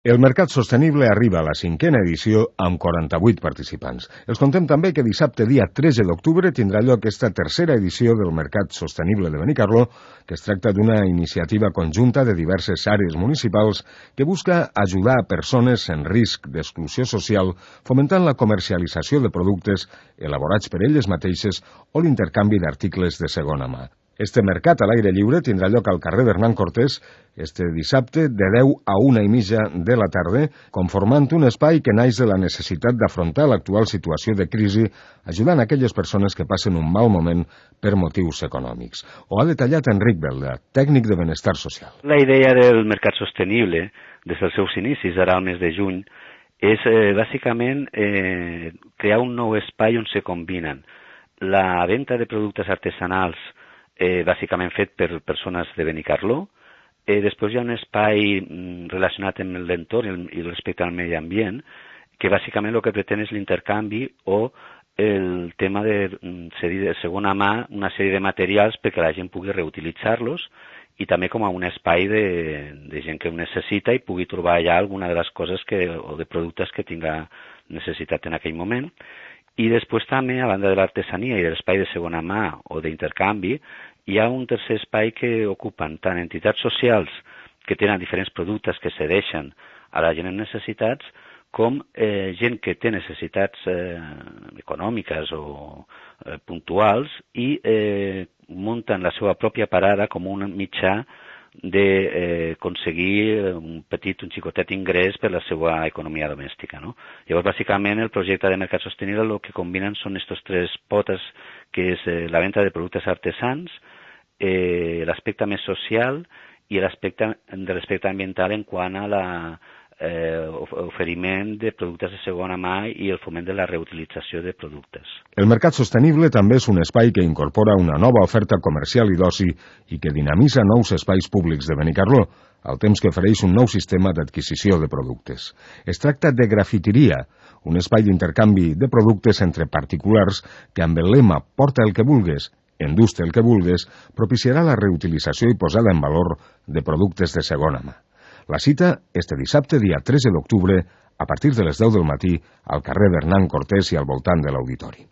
El Mercat Sostenible arriba a la 5a edició amb 48 participants. Els contem també que dissabte, dia 13 d'octubre, tindrà lloc esta tercera edició del Mercat Sostenible de Benicarló, que es tracta d'una iniciativa conjunta de diverses àrees municipals que busca ajudar a persones en risc d'exclusió social, fomentant la comercialització de productes elaborats per elles mateixes o l'intercanvi d'articles de segona mà. Este mercat a l'aire lliure tindrà lloc al carrer Hernán Cortés este dissabte de 10 a 1:30 de la tarda, conformant un espai que naix de la necessitat d'afrontar l'actual situació de crisi, ajudant aquelles persones que passen un mal moment per motius econòmics. Ho ha detallat Enric Belda, tècnic de benestar social. La idea del mercat sostenible, des dels seus inicis, ara al mes de juny, és bàsicament crear un nou espai on se combinen la venda de productes artesanals bàsicament fet per persones de Benicarló. Després hi ha un espai relacionat amb l'entorn i respecte al medi ambient, que bàsicament el que pretén és l'intercanvi o el tema de cedir de segona mà una sèrie de materials perquè la gent pugui reutilitzar-los i també com a un espai de gent que ho necessita i pugui trobar allà alguna de les coses o de productes que tinga necessitat en aquell moment. I després també, a banda de l'artesania i de l'espai de segona mà o d'intercanvi, hi ha un tercer espai que ocupen tant entitats socials que tenen diferents productes que cedeixen a la gent amb necessitats, com gent que té necessitats econòmiques o puntuals i munten la seva pròpia parada com un mitjà d'aconseguir un xicotet ingrés per la seva economia domèstica, no? Llavors, bàsicament, el projecte de Mercat Sostenible el que combinen són aquestes tres potes, que és la venda de productes artesans, l'aspecte més social i l'aspecte de l'aspecte ambiental en quant a l'oferiment de productes de segona mà i el foment de la reutilització de productes. El Mercat Sostenible també és un espai que incorpora una nova oferta comercial i d'oci i que dinamitza nous espais públics de Benicarló, al temps que ofereix un nou sistema d'adquisició de productes. Es tracta de grafiteria, un espai d'intercanvi de productes entre particulars que amb el lema «Porta el que vulgues, endús-te el que vulgues», propiciarà la reutilització i posada en valor de productes de segona mà. La cita este dissabte, dia 13 d'octubre, a partir de les 10 del matí, al carrer Hernán Cortés i al voltant de l'auditori.